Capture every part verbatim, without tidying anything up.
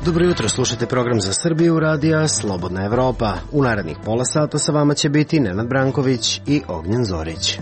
Dobro jutro, slušate program za Srbiju radija Slobodna Evropa. U narednih pola sata sa vama će biti Nenad Branković i Ognjen Zorić.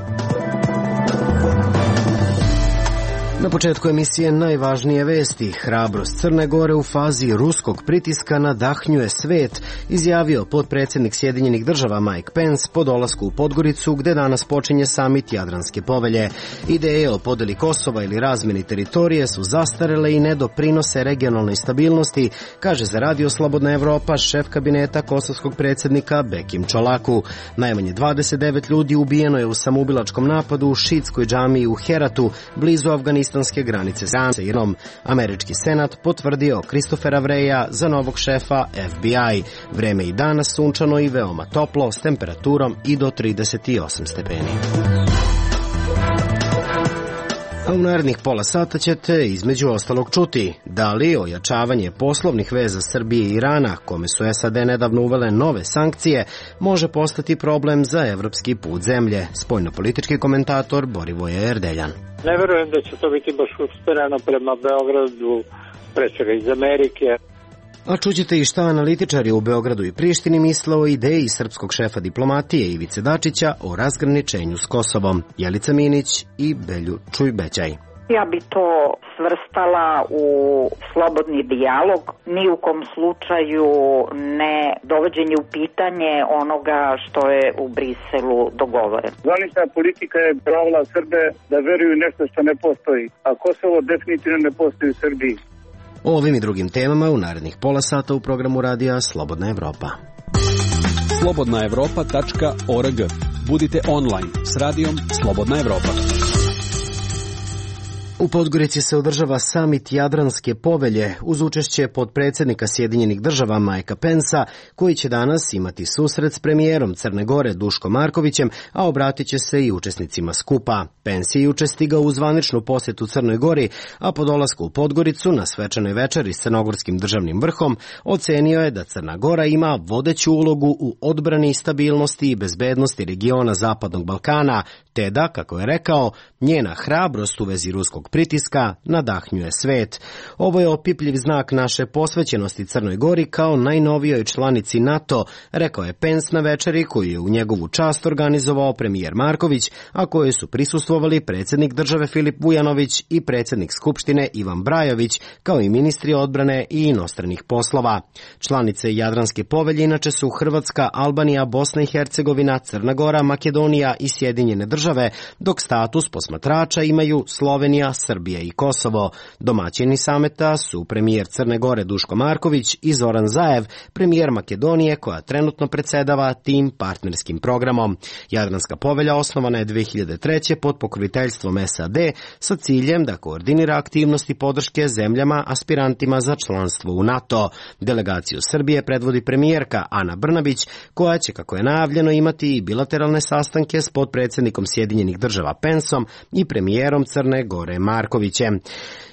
Na početku emisije najvažnije vesti. Hrabrost Crne Gore u fazi ruskog pritiska nadahnjuje svet, izjavio potpredsjednik Sjedinjenih država Mike Pence po dolasku u Podgoricu, gde danas počinje samit Jadranske povelje. Ideje o podeli Kosova ili razmeni teritorije su zastarele i ne doprinose regionalnoj stabilnosti, kaže za Radio Slobodna Evropa šef kabineta kosovskog predsjednika Bekim Čolaku. Najmanje dvadeset devet ljudi ubijeno je u samoubilačkom napadu u šiitskoj džamiji u Heratu, blizu Afganistana granice sa Iranom. Američki senat potvrdio Christophera Wreya za novog šefa F B I. Vreme i danas sunčano i veoma toplo s temperaturom i do trideset osam stepeni. A u narednih pola sata ćete između ostalog čuti da li ojačavanje poslovnih veza Srbije i Irana, kome su S A D nedavno uvele nove sankcije, može postati problem za evropski put zemlje. Spoljnopolitički komentator Borivoje Erdeljan. Ne verujem da će to biti baš usmereno prema Beogradu, pre svega iz Amerike. A čućete i šta analitičari u Beogradu i Prištini misle o ideji srpskog šefa diplomatije Ivice Dačića o razgraničenju s Kosovom. Jelica Minić i Belju Čujbećaj. Ja bi to svrstala u slobodni dijalog, ni u kom slučaju ne dovođenje u pitanje onoga što je u Briselu dogovoreno. Zvanična politika je pravila Srbe da veruju nešto što ne postoji, a Kosovo definitivno ne postoji u Srbiji. O ovim i drugim temama u narednih pola sata u programu radija Slobodna Evropa. slobodna evropa tačka org. Budite online s radijom Slobodna Evropa. U Podgorici se održava samit Jadranske povelje uz učešće potpredsjednika Sjedinjenih država Mikea Pensa, koji će danas imati susret s premijerom Crne Gore Duškom Markovićem, a obratit će se i učesnicima skupa. Pence je juče stigao u zvaničnu posjetu Crnoj Gori, a po dolasku u Podgoricu na svečanoj večeri s crnogorskim državnim vrhom ocenio je da Crna Gora ima vodeću ulogu u odbrani, stabilnosti i bezbednosti regiona Zapadnog Balkana, te da, kako je rekao, njena hrabrost u vezi ruskog pritiska nadahnjuje svet. Ovo je opipljiv znak naše posvećenosti Crnoj Gori kao najnovijoj članici NATO, rekao je Pence na večeri koju je u njegovu čast organizovao premijer Marković, a koje su prisustvovali predsjednik države Filip Vujanović i predsjednik Skupštine Ivan Brajović, kao i ministri odbrane i inostranih poslova. Članice Jadranske povelje inače su Hrvatska, Albanija, Bosna i Hercegovina, Crna Gora, Makedonija i Sjedinjene države, dok status posmatrača imaju Slovenija, Srbija i Kosovo. Domaćini sameta su premijer Crne Gore Duško Marković i Zoran Zaev, premijer Makedonije koja trenutno predsjedava tim partnerskim programom. Jadranska povelja osnovana je dve hiljade treće pod pokroviteljstvom S A D sa ciljem da koordinira aktivnosti podrške zemljama aspirantima za članstvo u NATO. Delegaciju Srbije predvodi premijerka Ana Brnabić, koja će, kako je najavljeno, imati i bilateralne sastanke s potpredsjednikom Sjedinjenih država Penceom i premijerom Crne Gore Markovićem.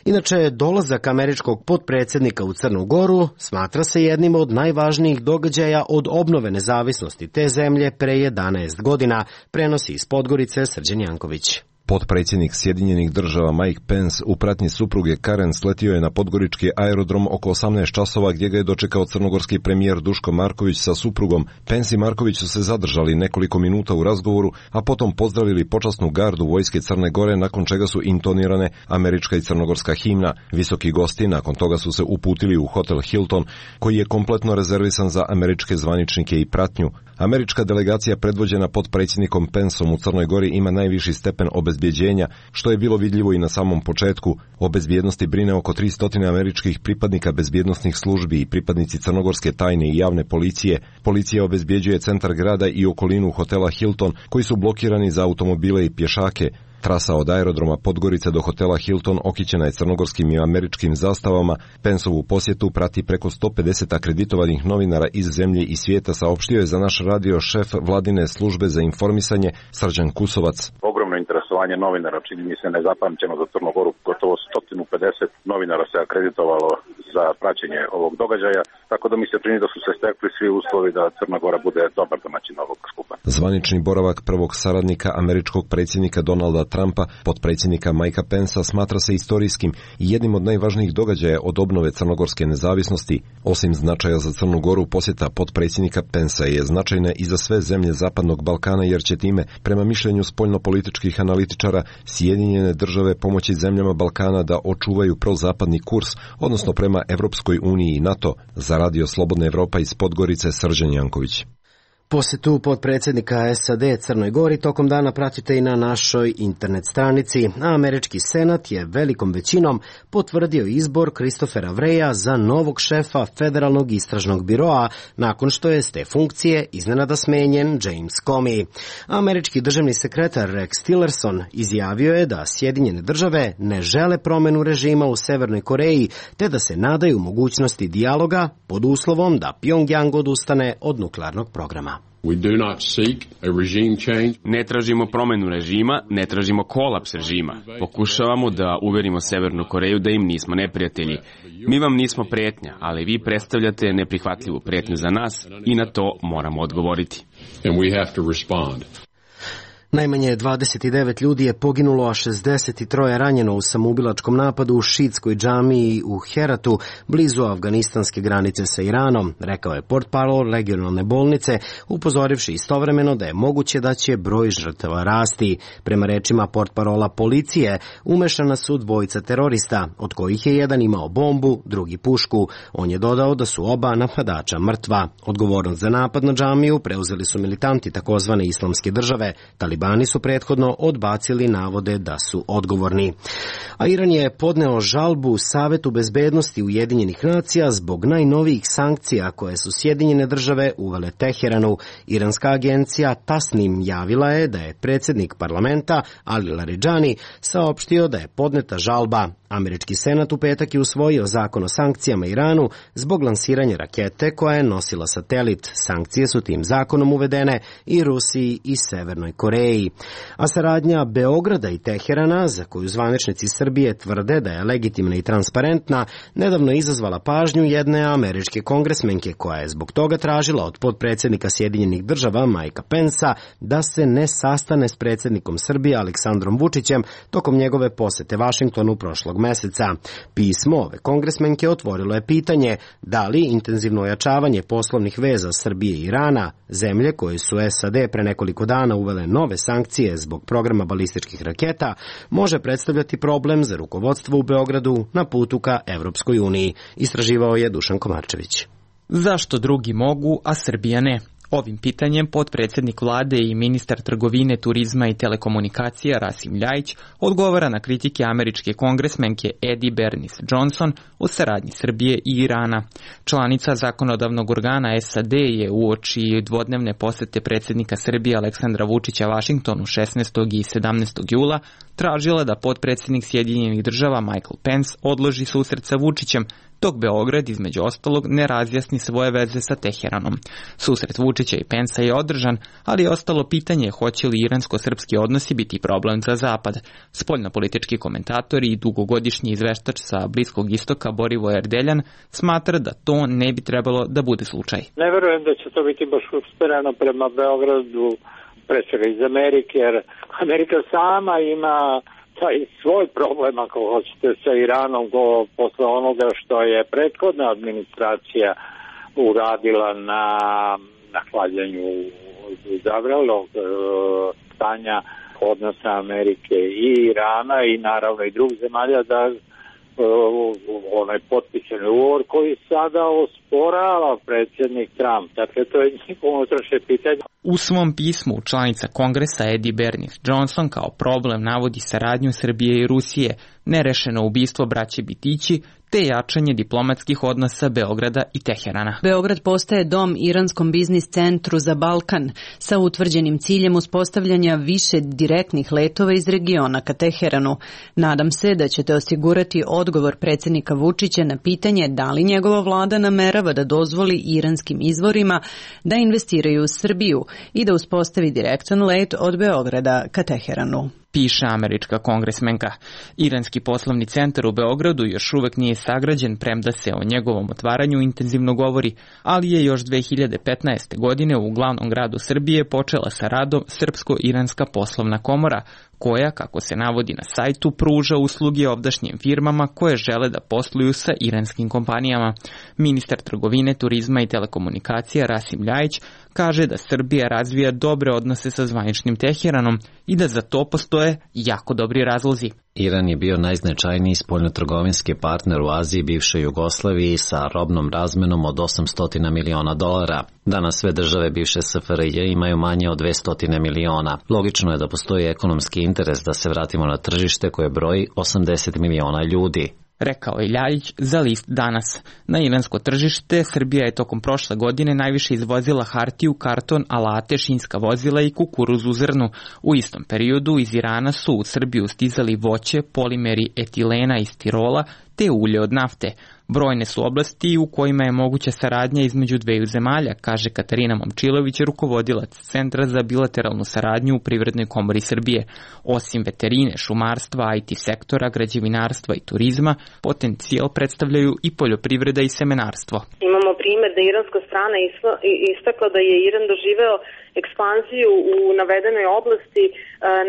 Inače, dolazak američkog potpredsjednika u Crnu Goru smatra se jednim od najvažnijih događaja od obnove nezavisnosti te zemlje pre jedanaest godina, prenosi iz Podgorice Srđan Janković. Potpredsjednik Sjedinjenih država Mike Pence u pratnji supruge Karen sletio je na podgorički aerodrom oko osamnaest časova, gdje ga je dočekao crnogorski premijer Duško Marković sa suprugom. Pence i Marković su se zadržali nekoliko minuta u razgovoru, a potom pozdravili počasnu gardu vojske Crne Gore, nakon čega su intonirane američka i crnogorska himna. Visoki gosti nakon toga su se uputili u hotel Hilton, koji je kompletno rezervisan za američke zvaničnike i pratnju. Američka delegacija predvođena potpredsjednikom Penceom u Crnoj Gori ima najviši stepen obezbjeđenja, što je bilo vidljivo i na samom početku. O bezbjednosti brine oko tristo američkih pripadnika bezbjednosnih službi i pripadnici crnogorske tajne i javne policije. Policija obezbjeđuje centar grada i okolinu hotela Hilton, koji su blokirani za automobile i pješake. Trasa od aerodroma Podgorice do hotela Hilton okićena je crnogorskim i američkim zastavama. Penceovu posjetu prati preko sto pedeset akreditovanih novinara iz zemlje i svijeta, saopštio je za naš radio šef vladine službe za informisanje Srđan Kusovac. Ogromna ogromno interesovanje novinara, čini mi se nezapamćeno za Crnu Goru, gotovo sto pedeset novinara se akreditovalo za praćenje ovog događaja, tako da mi se čini da su se stekli svi uslovi da Crna Gora bude dobar domaćin ovog skupa. Zvanični boravak prvog saradnika američkog predsjednika Donalda Trumpa, potpredsjednika Mikea Pensa, smatra se istorijskim i jednim od najvažnijih događaja od obnove crnogorske nezavisnosti. Osim značaja za Crnu Goru, posjeta potpredsjednika Pensa je značajna i za sve zemlje Zapadnog Balkana, jer će time, prema mišljenju spoljnopolitičkih analitičara, Sjedinjene države pomoći zemljama Balkana da očuvaju prozapadni kurs, odnosno prema Evropskoj uniji i NATO. Za Radio Slobodna Evropa iz Podgorice, Srđan Janković. Posjetu potpredsjednika S A D Crnoj Gori tokom dana pratite i na našoj internet stranici, a američki senat je velikom većinom potvrdio izbor Christophera Wreya za novog šefa Federalnog istražnog biroa nakon što je s te funkcije iznenada smenjen James Comey. Američki državni sekretar Rex Tillerson izjavio je da Sjedinjene države ne žele promjenu režima u Severnoj Koreji, te da se nadaju mogućnosti dijaloga pod uslovom da Pjongjang odustane od nuklearnog programa. We do not seek a regime change. Ne tražimo promjenu režima, ne tražimo kolaps režima. Pokušavamo da uverimo Severnu Koreju da im nismo neprijatelji. Mi vam nismo pretnja, ali vi predstavljate neprihvatljivu pretnju za nas i na to moramo odgovoriti. And we have to respond. Najmanje dvadeset devet ljudi je poginulo, a šezdeset tri ranjeno u samoubilačkom napadu u šiitskoj džamiji u Heratu, blizu afganistanske granice sa Iranom, rekao je portparol regionalne bolnice, upozorivši istovremeno da je moguće da će broj žrtava rasti. Prema rečima portparola policije, umešana su dvojica terorista, od kojih je jedan imao bombu, drugi pušku. On je dodao da su oba napadača mrtva. Odgovornost za napad na džamiju preuzeli su militanti takozvane islamske države. Talibani su prethodno odbacili navode da su odgovorni. A Iran je podneo žalbu Savetu bezbednosti Ujedinjenih nacija zbog najnovijih sankcija koje su Sjedinjene države uvele Teheranu. Iranska agencija Tasnim javila je da je predsjednik parlamenta Ali Laridžani saopštio da je podneta žalba. Američki senat u petak je usvojio zakon o sankcijama Iranu zbog lansiranja rakete koja je nosila satelit. Sankcije su tim zakonom uvedene i Rusiji i Severnoj Koreji. A saradnja Beograda i Teherana, za koju zvaničnici Srbije tvrde da je legitimna i transparentna, nedavno izazvala pažnju jedne američke kongresmenke koja je zbog toga tražila od potpredsjednika Sjedinjenih država Mikea Pensa da se ne sastane s predsjednikom Srbije Aleksandrom Vučićem tokom njegove posete Vašingtonu prošlog meseca. Pismo ove kongresmenke otvorilo je pitanje da li intenzivno ojačavanje poslovnih veza Srbije i Irana, zemlje koje su S A D pre nekoliko dana uvele nove sankcije zbog programa balističkih raketa, može predstavljati problem za rukovodstvo u Beogradu na putu ka Evropskoj uniji, istraživao je Dušan Komarčević. Zašto drugi mogu, a Srbija ne? Ovim pitanjem potpredsjednik vlade i ministar trgovine, turizma i telekomunikacija Rasim Ljajić odgovara na kritike američke kongresmenke Eddie Bernice Johnson o saradnji Srbije i Irana. Članica zakonodavnog organa S A D je uoči dvodnevne posete predsjednika Srbije Aleksandra Vučića Vašingtonu šesnaestog i sedamnaestog jula tražila da potpredsjednik Sjedinjenih država Michael Pence odloži susret sa Vučićem, dok Beograd, između ostalog, ne razjasni svoje veze sa Teheranom. Susret Vučića i Pensa je održan, ali je ostalo pitanje hoće li iransko-srpski odnosi biti problem za Zapad. Spoljnopolitički komentator i dugogodišnji izveštač sa Bliskog istoka Borivoje Erdeljan smatra da to ne bi trebalo da bude slučaj. Ne verujem da će to biti baš uspereno prema Beogradu, pre svega iz Amerike, jer Amerika sama ima taj svoj problem, ako hoćete, sa Iranom go, posle onoga što je prethodna administracija uradila na nahlađanju zavrelog e, stanja odnosa Amerike i Irana i naravno i drugih zemalja, da e, onaj potpisan ugovor koji sada osporava predsjednik Trump. Dakle, to je njihovo unutrašnje pitanje. U svom pismu članica Kongresa Eddie Bernice Johnson kao problem navodi saradnju Srbije i Rusije, nerešeno ubistvo braće Bitići, te jačanje diplomatskih odnosa Beograda i Teherana. Beograd postaje dom iranskom biznis centru za Balkan sa utvrđenim ciljem uspostavljanja više direktnih letova iz regiona ka Teheranu. Nadam se da ćete osigurati odgovor predsjednika Vučića na pitanje da li njegova vlada namerava da dozvoli iranskim izvorima da investiraju u Srbiju i da uspostavi direktan let od Beograda ka Teheranu. piše američka kongresmenka. Iranski poslovni centar u Beogradu još uvek nije sagrađen, premda se o njegovom otvaranju intenzivno govori, ali je još dve hiljade petnaeste. godine u glavnom gradu Srbije počela sa radom Srpsko-iranska poslovna komora, koja, kako se navodi na sajtu, pruža usluge ovdašnjim firmama koje žele da posluju sa iranskim kompanijama. Ministar trgovine, turizma i telekomunikacija Rasim Ljajić kaže da Srbija razvija dobre odnose sa zvaničnim Teheranom i da za to postoje jako dobri razlozi. Iran je bio najznačajniji spoljnotrgovinski partner u Aziji i bivšoj Jugoslaviji sa robnom razmenom od osamsto miliona dolara. Danas sve države bivše S F R J imaju manje od dvesta miliona. Logično je da postoji ekonomski interes da se vratimo na tržište koje broji osamdeset miliona ljudi. Rekao je Ljajić za list Danas. Na iransko tržište Srbija je tokom prošle godine najviše izvozila hartiju, karton, alate, šinska vozila i kukuruz u zrnu. U istom periodu iz Irana su u Srbiju stizali voće, polimeri etilena iz Tirola te ulje od nafte. Brojne su oblasti u kojima je moguća saradnja između dveju zemalja, kaže Katarina Momčilović, rukovodilac Centra za bilateralnu saradnju u Privrednoj komori Srbije. Osim veterine, šumarstva, I T sektora, građevinarstva i turizma, potencijal predstavljaju i poljoprivreda i semenarstvo. Imamo primjer da iranska strana istakla da je Iran doživeo ekspanziju u navedenoj oblasti e,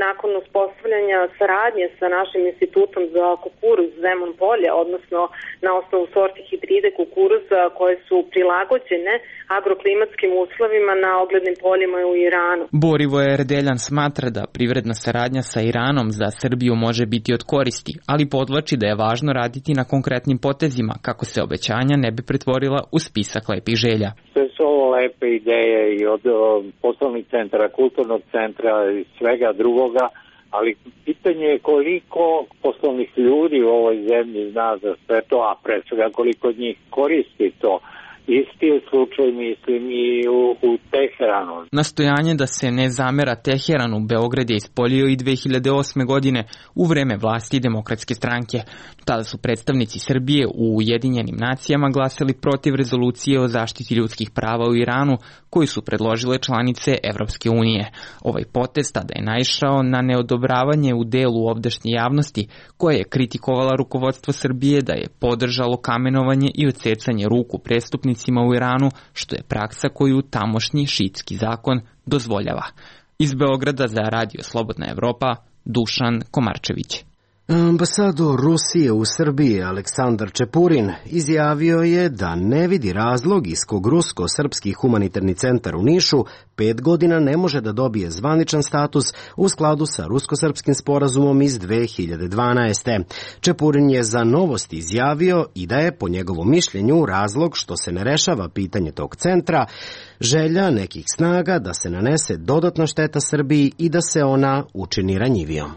nakon uspostavljanja saradnje sa našim institutom za kukuruz Zemun polje, odnosno na osnovu sorti hibride kukuruza koje su prilagođene agroklimatskim uslovima na oglednim poljima u Iranu. Borivoje Erdeljan smatra da privredna saradnja sa Iranom za Srbiju može biti od koristi, ali podvlači da je važno raditi na konkretnim potezima kako se obećanja ne bi pretvorila u spisak lepih želja. Sve su ovo lepe ideje i od poslovnih centara, kulturnog centra i svega drugoga, ali pitanje je koliko poslovnih ljudi u ovoj zemlji zna za sve to, a pre svega koliko njih koristi to. Isti je slučaj, mislim, i u, u Teheranu. Nastojanje da se ne zamera Teheranu Beograd je ispolio i dve hiljade osme. godine u vreme vlasti Demokratske stranke. Tada su predstavnici Srbije u Ujedinjenim nacijama glasali protiv rezolucije o zaštiti ljudskih prava u Iranu, koju su predložile članice Evropske unije. Ovaj potez tada je naišao na neodobravanje u delu ovdašnje javnosti, koja je kritikovala rukovodstvo Srbije da je podržalo kamenovanje i odsecanje ruku prestupnicima u Iranu, što je praksa koju tamošnji šiitski zakon dozvoljava. Iz Beograda za Radio Slobodna Evropa, Dušan Komarčević. Ambasador Rusije u Srbiji Aleksandar Čepurin izjavio je da ne vidi razlog iz kog Rusko-srpski humanitarni centar u Nišu pet godina ne može da dobije zvaničan status u skladu sa Rusko-srpskim sporazumom iz dve hiljade dvanaeste. Čepurin je za Novosti izjavio i da je po njegovom mišljenju razlog što se ne rešava pitanje tog centra želja nekih snaga da se nanese dodatna šteta Srbiji i da se ona učini ranjivijom.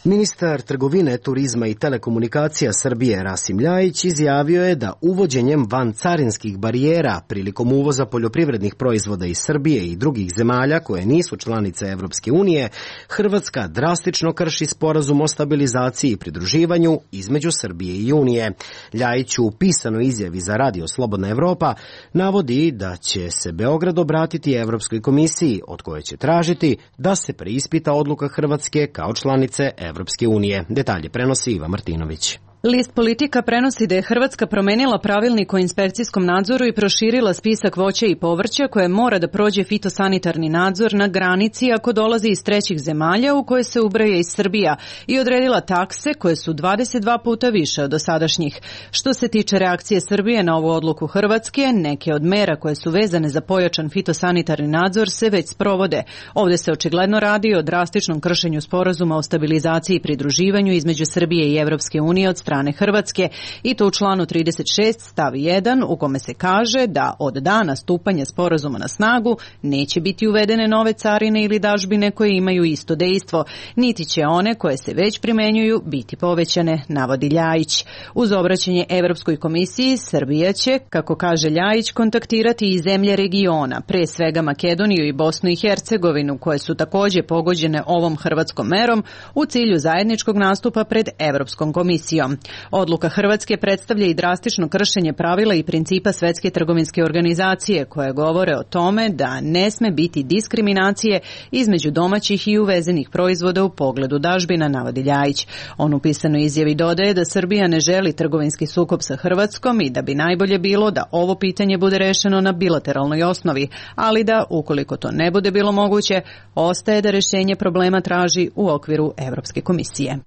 Ministar trgovine, turizma i telekomunikacija Srbije Rasim Ljajić izjavio je da uvođenjem vancarinskih barijera prilikom uvoza poljoprivrednih proizvoda iz Srbije i drugih zemalja koje nisu članice Evropske unije, Hrvatska drastično krši sporazum o stabilizaciji i pridruživanju između Srbije i Unije. Ljajić u pisanoj izjavi za Radio Slobodna Evropa navodi da će se Beograd obratiti Evropskoj komisiji, od koje će tražiti da se preispita odluka Hrvatske kao članice Evropske Evropske unije. Detalje prenosi Iva Martinović. List Politika prenosi da je Hrvatska promenila pravilnik o inspekcijskom nadzoru i proširila spisak voća i povrća koje mora da prođe fitosanitarni nadzor na granici ako dolazi iz trećih zemalja u koje se ubraja i Srbija i odredila takse koje su dvadeset dva puta više od dosadašnjih. Što se tiče reakcije Srbije na ovu odluku Hrvatske, neke od mera koje su vezane za pojačan fitosanitarni nadzor se već sprovode. Ovde se očigledno radi o drastičnom kršenju sporazuma o stabilizaciji i pridruživanju između Srbije i Evropske unije od strane Hrvatske i to u članu trideset šest stav jedan u kome se kaže da od dana stupanja sporazuma na snagu neće biti uvedene nove carine ili dažbine koje imaju isto dejstvo, niti će one koje se već primenjuju biti povećane, navodi Ljajić. Uz obraćanje Evropskoj komisiji, Srbija će, kako kaže Ljajić, kontaktirati i zemlje regiona, pre svega Makedoniju i Bosnu i Hercegovinu, koje su takođe pogođene ovom hrvatskom merom u cilju zajedničkog nastupa pred Evropskom komisijom. Srbijom. Odluka Hrvatske predstavlja i drastično kršenje pravila i principa Svetske trgovinske organizacije koje govore o tome da ne sme biti diskriminacije između domaćih i uvezenih proizvoda u pogledu dažbina, navodi Ljajić. On u pisanoj izjavi dodaje da Srbija ne želi trgovinski sukob sa Hrvatskom i da bi najbolje bilo da ovo pitanje bude rešeno na bilateralnoj osnovi, ali da, ukoliko to ne bude bilo moguće, ostaje da rešenje problema traži u okviru Evropske komisije.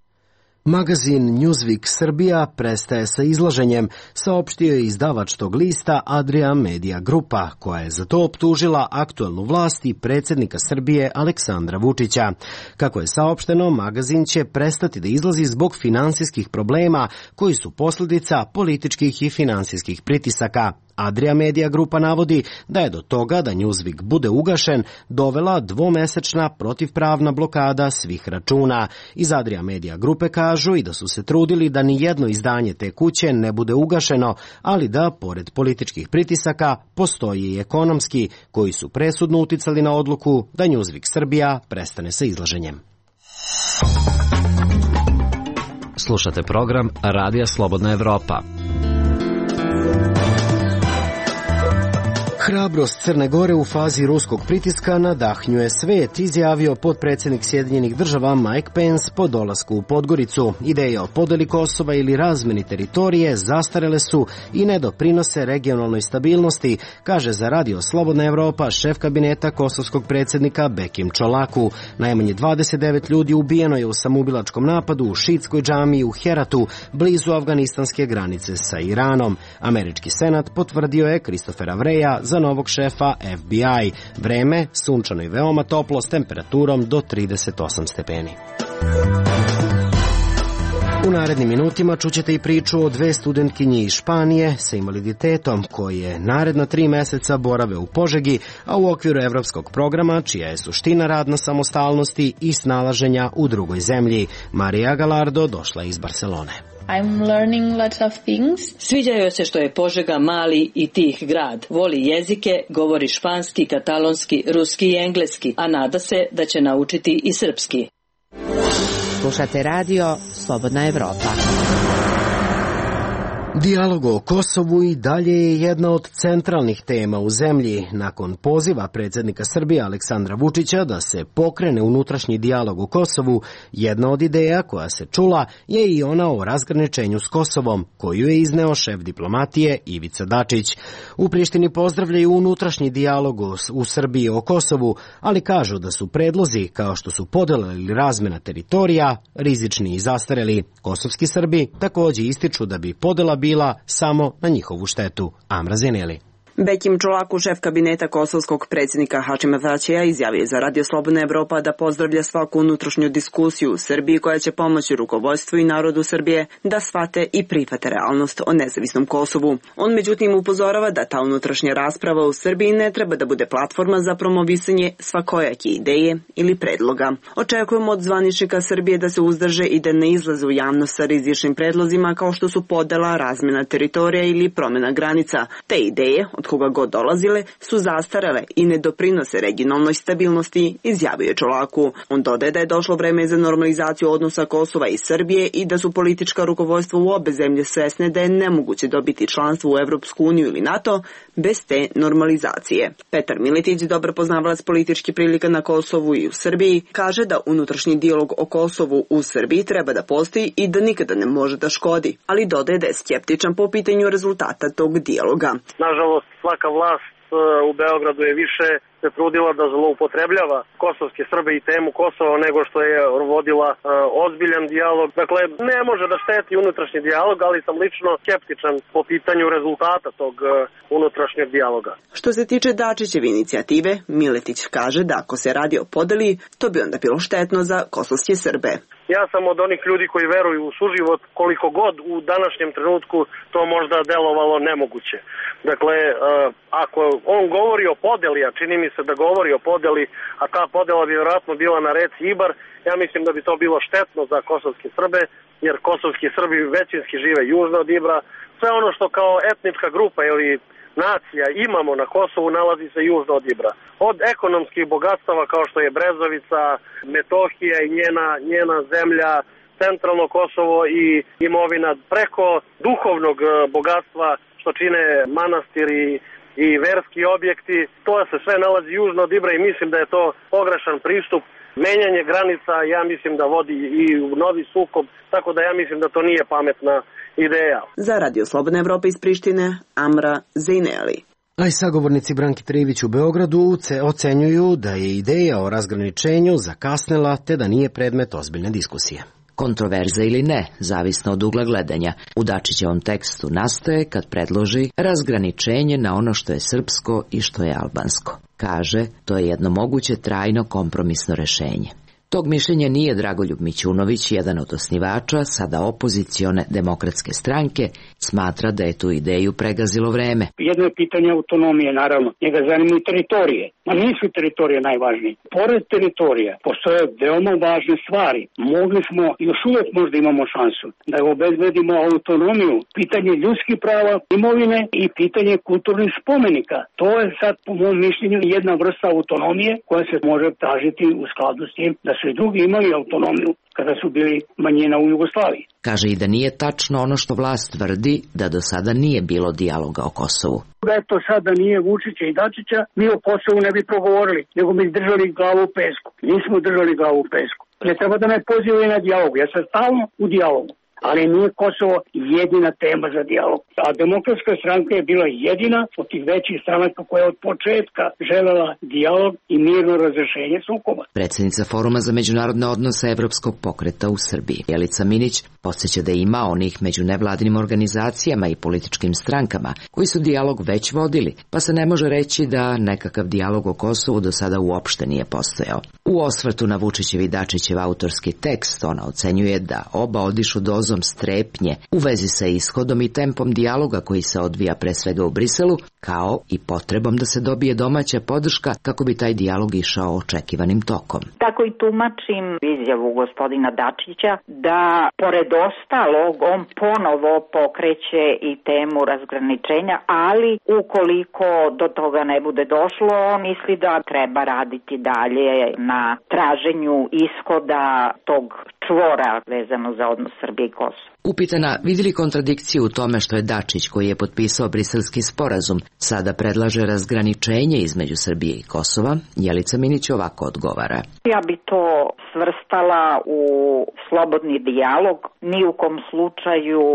Magazin Newsweek Srbija prestaje sa izlaženjem, saopštio je izdavač tog lista Adria Media Grupa, koja je za to optužila aktuelnu vlast i predsjednika Srbije Aleksandra Vučića. Kako je saopšteno, magazin će prestati da izlazi zbog finansijskih problema koji su posljedica političkih i finansijskih pritisaka. Adria Media Grupa navodi da je do toga da Newsweek bude ugašen dovela dvomesečna protivpravna blokada svih računa. Iz Adria Media Grupe kažu i da su se trudili da ni jedno izdanje te kuće ne bude ugašeno, ali da, pored političkih pritisaka, postoji i ekonomski, koji su presudno uticali na odluku da Newsweek Srbija prestane sa izlaženjem. Slušate program Radija Slobodna Evropa. Hrabrost Crne Gore u fazi ruskog pritiska nadahnjuje svet, izjavio potpredsjednik Sjedinjenih država Mike Pence po dolasku u Podgoricu. Ideje o podeli Kosova ili razmeni teritorije zastarele su i ne doprinose regionalnoj stabilnosti, kaže za Radio Slobodna Evropa šef kabineta kosovskog predsjednika Bekim Čolaku. Najmanje dvadeset devet ljudi ubijeno je u samoubilačkom napadu u šiitskoj džamiji u Heratu, blizu afganistanske granice sa Iranom. Američki senat potvrdio je Christophera Vreja za novog šefa F B I. Vreme sunčano i veoma toplo s temperaturom do trideset osam stepeni. U narednim minutima čućete i priču o dve studentkinje iz Španije sa invaliditetom koje naredna tri meseca borave u Požegi, a u okviru evropskog programa čija je suština rad na samostalnosti i snalaženja u drugoj zemlji. Marija Galardo došla iz Barcelone. I'm learning lots of things. Sviđa joj se što je Požega mali i tih grad. Voli jezike, govori španski, katalonski, ruski i engleski, a nada se da će naučiti i srpski. Slušate radio Slobodna Evropa. Dijalog o Kosovu i dalje je jedna od centralnih tema u zemlji. Nakon poziva predsjednika Srbije Aleksandra Vučića da se pokrene unutrašnji dijalog o Kosovu, jedna od ideja koja se čula je i ona o razgraničenju s Kosovom, koju je izneo šef diplomatije Ivica Dačić. U Prištini pozdravljaju unutrašnji dijalog u Srbiji o Kosovu, ali kažu da su predlozi, kao što su podela ili razmena teritorija, rizični i zastareli. Kosovski Srbi također ističu da bi podela bila samo na njihovu štetu. Amra Zeneli. Bekim Čolaku, šef kabineta kosovskog predsjednika Hašima Tačija, izjavio je za Radio Slobodna Evropa da pozdravlja svaku unutrašnju diskusiju u Srbiji koja će pomoći rukovodstvu i narodu Srbije da shvate i prihvate realnost o nezavisnom Kosovu. On međutim upozorava da ta unutrašnja rasprava u Srbiji ne treba da bude platforma za promovisanje svakojake ideje ili predloga. Očekujemo od zvaničnika Srbije da se uzdrže i da ne izlaze u javnost sa rizičnim predlozima kao što su podela, razmjena teritorija ili promjena granica. Te ideje, od koga god dolazile, su zastarele i ne doprinose regionalnoj stabilnosti, izjavio je Čolaku. On dodaje da je došlo vreme za normalizaciju odnosa Kosova i Srbije i da su politička rukovodstva u obe zemlje svesne da je nemoguće dobiti članstvo u Evropsku uniju ili NATO bez te normalizacije. Petar Miletić, dobar poznavalac političkih prilika na Kosovu i u Srbiji, kaže da unutrašnji dijalog o Kosovu u Srbiji treba da postoji i da nikada ne može da škodi, ali dodaje da je skeptičan po pitanju rezultata tog dijaloga. Nažalost, svaka vlast u Beogradu je više se trudila da zloupotrebljava kosovske Srbe i temu Kosova nego što je vodila uh, ozbiljan dijalog. Dakle, ne može da šteti unutrašnji dijalog, ali sam lično skeptičan po pitanju rezultata tog uh, unutrašnjeg dijaloga. Što se tiče Dačićeve inicijative, Miletić kaže da ako se radi o podeli, to bi onda bilo štetno za kosovske Srbe. Ja sam od onih ljudi koji veruju u suživot, koliko god u današnjem trenutku to možda delovalo nemoguće. Dakle, uh, ako on govori o podeli, a čini mi se da govori o podeli, a ta podela bi vjerojatno bila na reci Ibar, ja mislim da bi to bilo štetno za kosovske Srbe, jer kosovski Srbi većinski žive južno od Ibra. Sve ono što kao etnička grupa ili nacija imamo na Kosovu nalazi se južno od Ibra. Od ekonomskih bogatstava kao što je Brezovica, Metohija i njena, njena zemlja, centralno Kosovo i imovina preko duhovnog bogatstva što čine manastiri i verski objekti. To se sve nalazi južno od Ibra i mislim da je to pogrešan pristup. Menjanje granica, ja mislim da vodi i u novi sukob, tako da ja mislim da to nije pametna ideja. Za Radio Slobodna Evropa iz Prištine, Amra Zejneli. A i sagovornici Branki Trivić u Beogradu ocenjuju da je ideja o razgraničenju zakasnela te da nije predmet ozbiljne diskusije. Kontroverza ili ne, zavisno od ugla gledanja. U Dačićevom tekstu nastaje kad predloži razgraničenje na ono što je srpsko i što je albansko. Kaže, to je jedno moguće trajno kompromisno rešenje. Tog mišljenja nije Dragoljub Mićunović, jedan od osnivača, sada opozicione demokratske stranke, smatra da je tu ideju pregazilo vreme. Jedno je pitanje autonomije, naravno. Njega zanimaju teritorije. Ma nisu teritorije najvažnije. Pored teritorija postoje veoma važne stvari. Mogli smo, još uvek možda imamo šansu, da obezbedimo autonomiju, pitanje ljudskih prava, imovine i pitanje kulturnih spomenika. To je sad, po mom mišljenju, jedna vrsta autonomije koja se može tražiti u skladu s tim da su i drugi imali autonomiju kada su bili manjina u Jugoslaviji. Kaže i da nije tačno ono što vlast tvrdi, da do sada nije bilo dijaloga o Kosovu. Da je to sada nije Vučića i Dačića, mi o Kosovu ne bi progovorili, nego bi držali glavu u pesku. Nismo držali glavu u pesku. Ne treba da me pozivaju na dijalog, ja sam stalno u dijalogu. Ali nije Kosovo jedina tema za dijalog. A demokratska stranka je bila jedina od tih većih stranaka koja je od početka želela dijalog i mirno razrešenje sukoba. Predsjednica Foruma za međunarodne odnose Evropskog pokreta u Srbiji, Jelica Minić, podsjeća da ima onih među nevladinim organizacijama i političkim strankama koji su dijalog već vodili, pa se ne može reći da nekakav dijalog o Kosovu do sada uopšte nije postojao. U osvrtu na Vučićev i Dačićev autorski tekst ona ocenjuje da oba odišu dozom strepnje u vezi sa ishodom i tempom dijaloga koji se odvija pre svega u Briselu, kao i potrebom da se dobije domaća podrška kako bi taj dijalog išao očekivanim tokom. Tako i tumačim izjavu gospodina Dačića da pored ostalog on ponovo pokreće i temu razgraničenja, ali ukoliko do toga ne bude došlo, misli da treba raditi dalje na traženju ishoda tog čvora vezano za odnos Srbije i Kosova. Upitana vidi li kontradikciju u tome što je Dačić, koji je potpisao briselski sporazum, sada predlaže razgraničenje između Srbije i Kosova, Jelica Minić ovako odgovara. Ja bi to svrstala u slobodni dijalog, ni u kom slučaju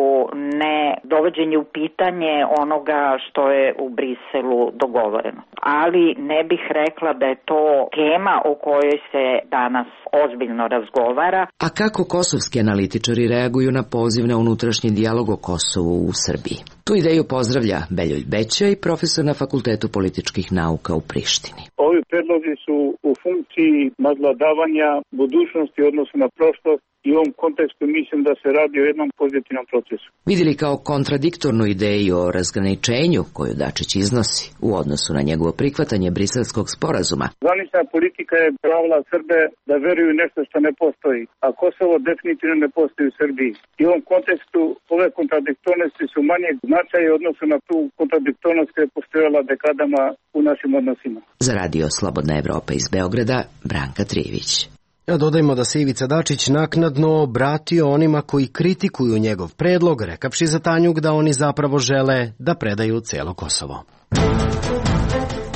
ne dovođenje u pitanje onoga što je u Briselu dogovoreno. Ali ne bih rekla da je to tema o kojoj se danas ozbiljno razgovara. A kako kosovski analitičari reaguju na poziv na unutrašnji dijalog o Kosovu u Srbiji? Tu ideju pozdravlja Beljoj Beća i profesor na Fakultetu političkih nauka u Prištini. Ovi predlozi su u funkciji nadvladavanja budućnosti u odnosu na prošlost i u ovom kontekstu mislim da se radi o jednom pozitivnom procesu. Vidjeli kao kontradiktornu ideju o razgraničenju koju Dačić iznosi u odnosu na njegovo prihvatanje briselskog sporazuma. Zvanična politika je pravila Srbe da veruju nešto što ne postoji, a Kosovo definitivno ne postoji u Srbiji. I u ovom kontekstu ove kontradiktornosti su manje značaje u odnosu na tu kontradiktornost koja je postojala dekadama u našim odnosima. Za Radio Slobodna Evropa iz Beograda, Branka Trivić. Ja dodajmo da se Ivica Dačić naknadno obratio onima koji kritikuju njegov predlog, rekavši za Tanjug da oni zapravo žele da predaju celo Kosovo.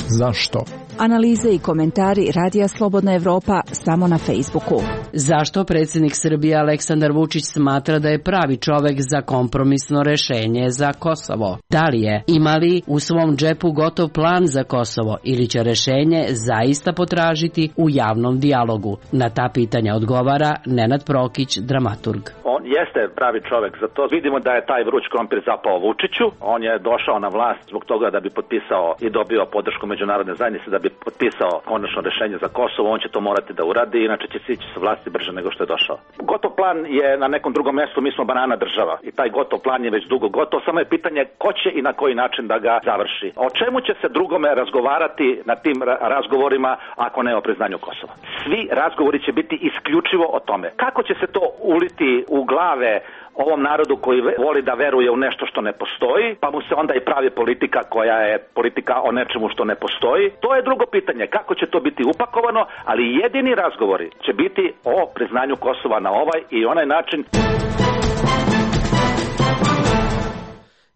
Zašto? Analize i komentari Radija Slobodna Evropa samo na Facebooku. Zašto predsjednik Srbije Aleksandar Vučić smatra da je pravi čovek za kompromisno rešenje za Kosovo? Da li je? Ima li u svom džepu gotov plan za Kosovo ili će rešenje zaista potražiti u javnom dijalogu? Na ta pitanja odgovara Nenad Prokić, dramaturg. On jeste pravi čovek za to. Vidimo da je taj vruć krompir zapao Vučiću. On je došao na vlast zbog toga da bi potpisao i dobio podršku međunarodne zajednice, da bi potpisao konačno rešenje za Kosovo. On će to morati da uradi, inače će sići sa vlasti brže nego što je došao. Gotov plan je na nekom drugom mjestu, mi smo banana država i taj gotov plan je već dugo gotov, samo je pitanje ko će i na koji način da ga završi. O čemu će se drugome razgovarati na tim razgovorima ako ne o priznanju Kosova? Svi razgovori će biti isključivo o tome. Kako će se to uliti u glave ovom narodu koji voli da veruje u nešto što ne postoji, pa mu se onda i pravi politika koja je politika o nečemu što ne postoji. To je drugo pitanje, kako će to biti upakovano, ali jedini razgovori će biti o priznanju Kosova na ovaj i onaj način.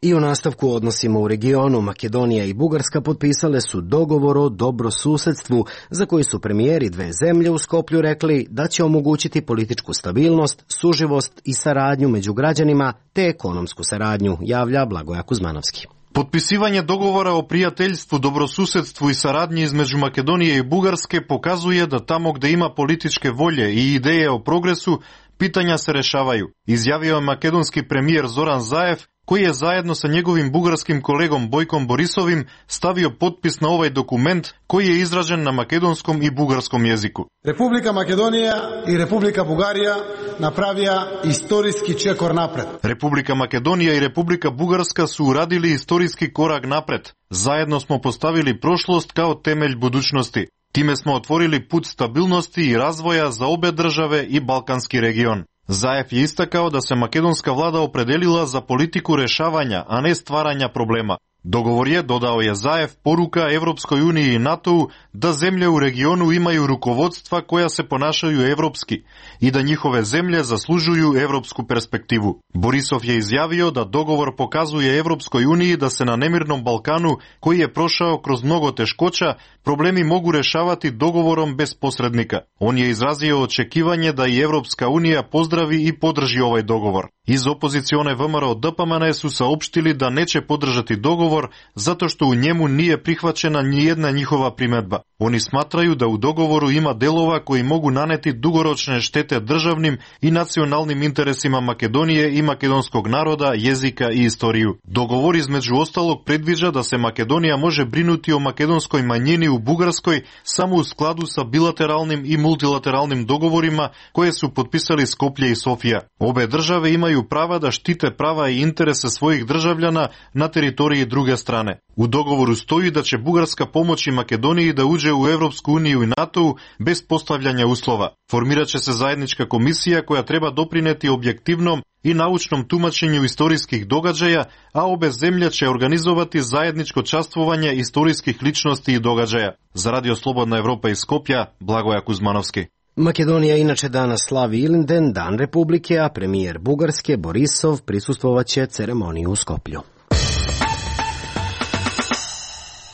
I u nastavku odnosima u regionu, Makedonija i Bugarska potpisale su dogovor o dobrosusedstvu za koji su premijeri dve zemlje u Skoplju rekli da će omogućiti političku stabilnost, suživost i saradnju među građanima te ekonomsku saradnju, javlja Blagoja Kuzmanovski. Potpisivanje dogovora o prijateljstvu, dobrosusedstvu i saradnji između Makedonije i Bugarske pokazuje da tamo gde ima političke volje i ideje o progresu, pitanja se rešavaju, izjavio je makedonski premijer Zoran Zaev, koji je zajedno sa njegovim bugarskim kolegom Bojkom Borisovim stavio potpis na ovaj dokument koji je izražen na makedonskom i bugarskom jeziku. Republika Makedonija i Republika Bugarija napravija istorijski čekor napred. Republika Makedonija i Republika Bugarska su uradili istorijski korak napred. Zajedno smo postavili prošlost kao temelj budućnosti. Time smo otvorili put stabilnosti i razvoja za obe države i balkanski region. Zaev je istakao da se makedonska vlada opredelila za politiku rešavanja, a ne stvaranja problema. Dogovor je, dodao je Zaev, poruka Evropskoj uniji i NATO-u da zemlje u regionu imaju rukovodstva koja se ponašaju evropski i da njihove zemlje zaslužuju evropsku perspektivu. Borisov je izjavio da dogovor pokazuje Evropskoj uniji da se na nemirnom Balkanu, koji je prošao kroz mnogo teškoća, problemi mogu rešavati dogovorom bez posrednika. On je izrazio očekivanje da i Evropska unija pozdravi i podrži ovaj dogovor. Iz opozicione V M R O D P M N su saopštili da neće podržati dogovor zato što u njemu nije prihvaćena nijedna njihova primedba. Oni smatraju da u dogovoru ima delova koji mogu naneti dugoročne štete državnim i nacionalnim interesima Makedonije i makedonskog naroda, jezika i istoriju. Dogovor između ostalog predviđa da se Makedonija može brinuti o makedonskoj manjini u Bugarskoj samo u skladu sa bilateralnim i multilateralnim dogovorima koje su potpisali Skoplje i Sofija. Obe države imaju prava da štite prava i interese svojih državljana na teritoriji druge strane. U dogovoru stoji da će Bugarska pomoći Makedoniji da uđe u Evropsku uniju i NATO bez postavljanja uslova. Formirat će se zajednička komisija koja treba doprineti objektivnom i naučnom tumačenju istorijskih događaja, a obe zemlje će organizovati zajedničko častvovanje istorijskih ličnosti i događaja. Za Radio Slobodna Evropa iz Skopja, Blagoja Kuzmanovski. Makedonija inače danas slavi Ilinden, Dan Republike, a premijer Bugarske Borisov prisustvovaće ceremoniji u Skoplju.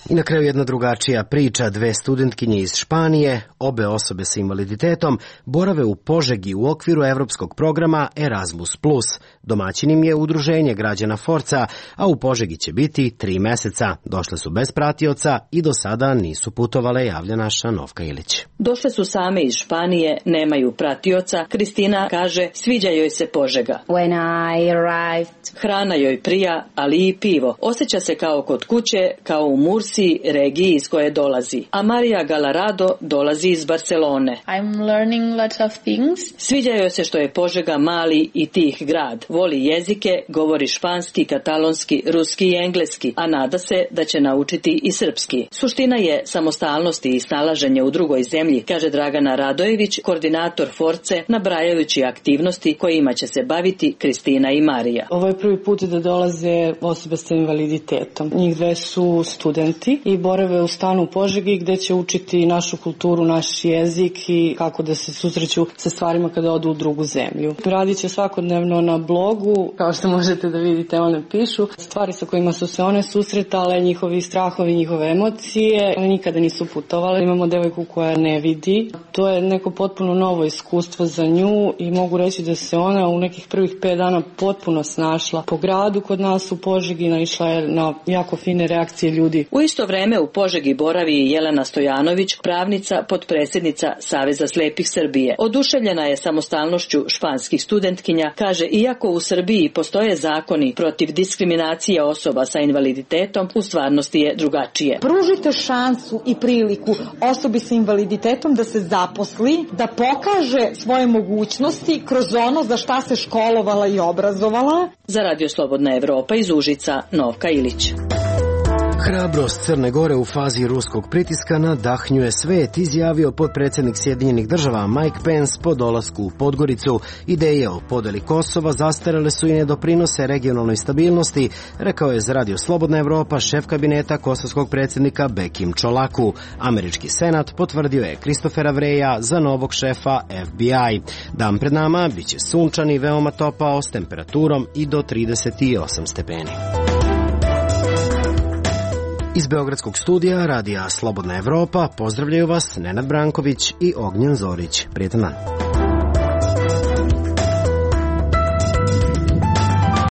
I na kraju jedna drugačija priča, dve studentkinje iz Španije, obe osobe sa invaliditetom, borave u Požegi u okviru evropskog programa Erasmus plus. Domaćin im je udruženje građana Forca, a u Požegi će biti tri meseca. Došle su bez pratioca i do sada nisu putovale, javlja naša Novka Ilić. Došle su same iz Španije, nemaju pratioca. Kristina kaže, sviđa joj se Požega. When I arrived... Hrana joj prija, ali i pivo. Osjeća se kao kod kuće, kao u Mursi, regiji iz koje dolazi. A Marija Galarado dolazi iz Barcelone. I'm learning lots of things. Sviđa joj se što je Požega mali i tih grad. Voli jezike, govori španski, katalonski, ruski i engleski, a nada se da će naučiti i srpski. Suština je samostalnosti i snalaženje u drugoj zemlji, kaže Dragana Radojević, koordinator Force, nabrajajući aktivnosti kojima će se baviti Kristina i Marija. Ovo je prvi put da dolaze osobe sa invaliditetom. Njih dve su studenti i borave u stanu u Požegi gde će učiti našu kulturu, naš jezik i kako da se susreću sa stvarima kada odu u drugu zemlju. Radit će svakodnevno na blogu, kao što možete da vidite, one pišu stvari sa kojima su se one susretale, njihovi strahovi, njihove emocije. One nikada nisu putovale. Imamo devojku koja ne vidi. To je neko potpuno novo iskustvo za nju i mogu reći da se ona u nekih prvih pet dana potpuno snašla po gradu kod nas u Požegi, naišla je na jako fine reakcije ljudi. U isto vreme u Požegi boravi i Jelena Stojanović, pravnica, potpredsjednica Saveza slepih Srbije. Oduševljena je samostalnošću španskih studentkinja, kaže, iako u Srbiji postoje zakoni protiv diskriminacije osoba sa invaliditetom, u stvarnosti je drugačije. Pružite šansu i priliku osobi sa invaliditetom da se zaposli, da pokaže svoje mogućnosti kroz ono za šta se školovala i obrazovala. Za Radio Slobodna Evropa iz Užica, Novka Ilić. Hrabrost Crne Gore u fazi ruskog pritiska nadahnjuje svet, izjavio potpredsjednik Sjedinjenih država Mike Pence po dolasku u Podgoricu. Ideje o podeli Kosova zastarele su i ne doprinose regionalnoj stabilnosti, rekao je za Radio Slobodna Evropa šef kabineta kosovskog predsjednika Bekim Čolaku. Američki senat potvrdio je Kristofera Vreja za novog šefa F B I. Dan pred nama biće sunčan i veoma topao s temperaturom i do trideset osam stepeni. Iz Beogradskog studija Radija Slobodna Evropa pozdravljaju vas Nenad Branković i Ognjen Zorić. Prijetan dan.